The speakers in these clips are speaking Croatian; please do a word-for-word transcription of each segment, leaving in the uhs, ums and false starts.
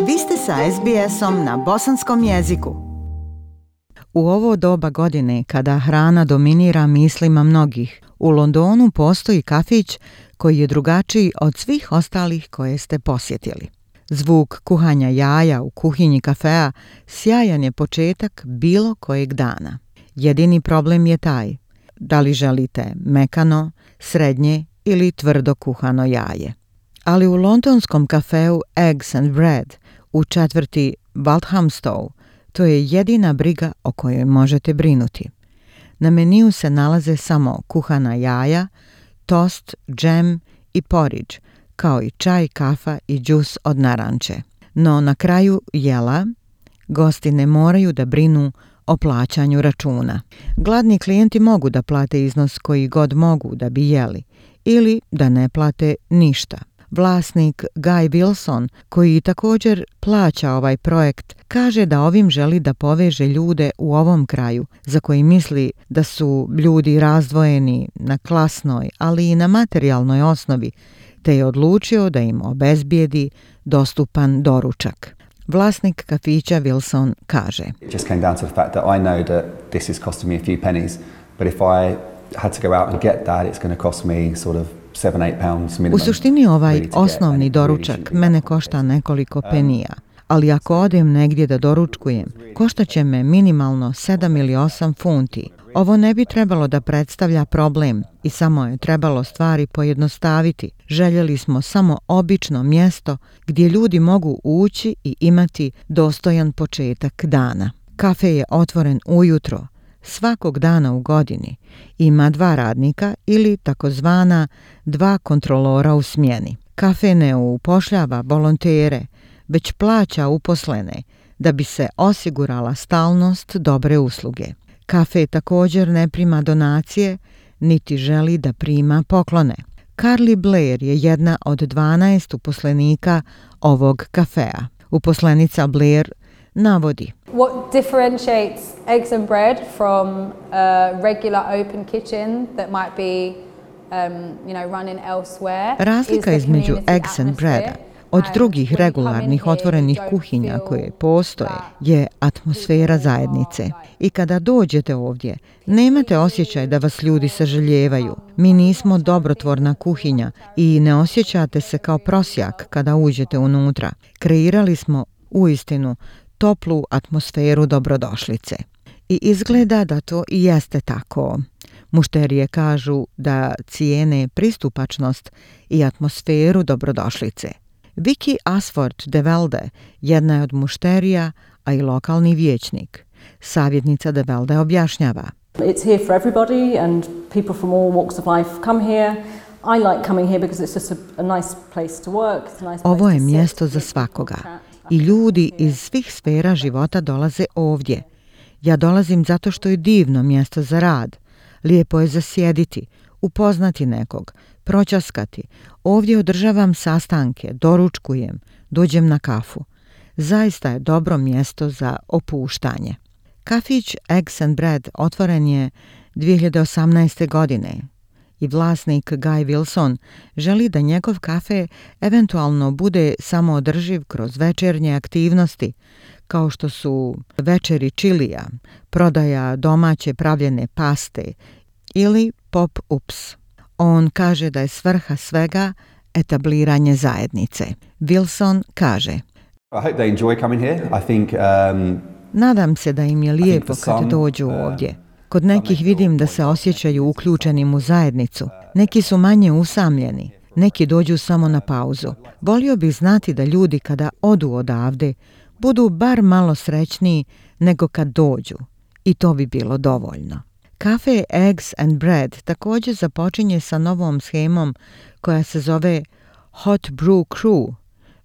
Vi ste sa es bi esom na bosanskom jeziku. U ovo doba godine, kada hrana dominira mislima mnogih, u Londonu postoji kafić koji je drugačiji od svih ostalih koje ste posjetili. Zvuk kuhanja jaja u kuhinji kafea sjajan je početak bilo kojeg dana. Jedini problem je taj, da li želite mekano, srednje ili tvrdo kuhano jaje. Ali u londonskom kafeu Eggs and Bread u četvrti Walthamstow to je jedina briga o kojoj možete brinuti. Na meniju se nalaze samo kuhana jaja, tost, džem i porridge, kao i čaj, kafa i džus od naranče. No na kraju jela gosti ne moraju da brinu o plaćanju računa. Gladni klijenti mogu da plate iznos koji god mogu da bi jeli ili da ne plate ništa. Vlasnik Guy Wilson, koji također plaća ovaj projekt, kaže da ovim želi da poveže ljude u ovom kraju, za koji misli da su ljudi razdvojeni na klasnoj, ali i na materijalnoj osnovi, te je odlučio da im obezbijedi dostupan doručak. Vlasnik kafića Wilson kaže: It just came down to the fact that I know that this is costing me a few pennies, but if I had to go out and get that, it's going to cost me sort of seven, eight pounds minimum. U suštini ovaj osnovni doručak mene košta nekoliko penija, ali ako odem negdje da doručkujem, koštaće me minimalno sedam ili osam funti. Ovo ne bi trebalo da predstavlja problem i samo je trebalo stvari pojednostaviti. Željeli smo samo obično mjesto gdje ljudi mogu ući i imati dostojan početak dana. Kafe je otvoren ujutro, svakog dana u godini. Ima dva radnika ili takozvana dva kontrolora u smjeni. Kafe ne upošljava volontere, već plaća uposlene da bi se osigurala stalnost dobre usluge. Kafe također ne prima donacije, niti želi da prima poklone. Carly Blair je jedna od dvanaest uposlenika ovog kafea. Uposlenica Blair navodi: What differentiates Eggs and Bread from a regular open kitchen that might be um, you know, running elsewhere? Razlika između Eggs and Breada od drugih regularnih otvorenih kuhinja koje postoje je atmosfera zajednice. I kada dođete ovdje, nemate osjećaj da vas ljudi sažaljevaju. Mi nismo dobrotvorna kuhinja i ne osjećate se kao prosjak kada uđete unutra. Kreirali smo uistinu toplu atmosferu dobrodošlice. I izgleda da to i jeste tako. Mušterije kažu da cijene pristupačnost i atmosferu dobrodošlice. Vicky Asford de Velde jedna je od mušterija, a i lokalni vijećnik. Savjetnica de Velde objašnjava: It's here for everybody and people from all walks of life come here. I like coming here because it's just a, a nice place to work. It's a nice place Ovo je to mjesto sit. za svakoga. I ljudi iz svih sfera života dolaze ovdje. Ja dolazim zato što je divno mjesto za rad. Lijepo je zasjediti, upoznati nekog, proćaskati. Ovdje održavam sastanke, doručkujem, dođem na kafu. Zaista je dobro mjesto za opuštanje. Kafić Eggs and Bread otvoren je dvije hiljade osamnaeste. godine i vlasnik Guy Wilson želi da njegov kafe eventualno bude samoodrživ kroz večernje aktivnosti, kao što su večeri čilija, prodaja domaće pravljene paste ili pop-ups. On kaže da je svrha svega etabliranje zajednice. Wilson kaže: I hope they enjoy coming here. I think um, Nadam se da im je lijepo kad dođu ovdje. Kod nekih vidim da se osjećaju uključenim u zajednicu. Neki su manje usamljeni, neki dođu samo na pauzu. Volio bih znati da ljudi kada odu odavde budu bar malo srećniji nego kad dođu. I to bi bilo dovoljno. Kafe Eggs and Bread također započinje sa novom shemom koja se zove Hot Brew Crew,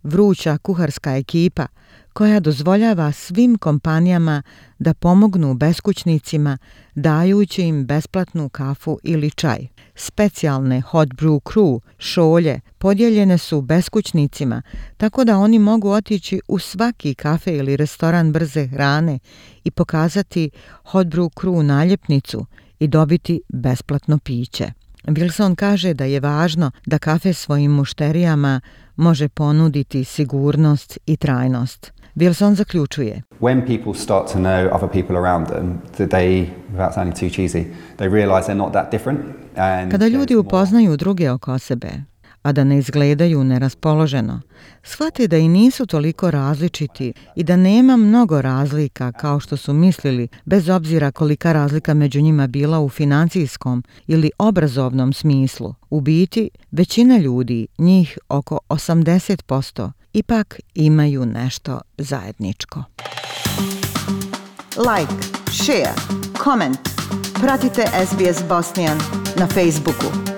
vruća kuharska ekipa, koja dozvoljava svim kompanijama da pomognu beskućnicima dajući im besplatnu kafu ili čaj. Specijalne Hot Brew Crew šolje podijeljene su beskućnicima, tako da oni mogu otići u svaki kafe ili restoran brze hrane i pokazati Hot Brew Crew naljepnicu i dobiti besplatno piće. Wilson kaže da je važno da kafe svojim mušterijama može ponuditi sigurnost i trajnost. Wilson zaključuje: When people start to know other people around them, that they, without sounding too cheesy, they realize they're not that different. And Kada ljudi upoznaju druge oko sebe, a da ne izgledaju neraspoloženo, shvate da i nisu toliko različiti i da nema mnogo razlika kao što su mislili, bez obzira kolika razlika među njima bila u financijskom ili obrazovnom smislu. U biti, većina ljudi, njih oko osamdeset posto, ipak imaju nešto zajedničko. Like, share, comment. Pratite S B S Bosnian na Facebooku.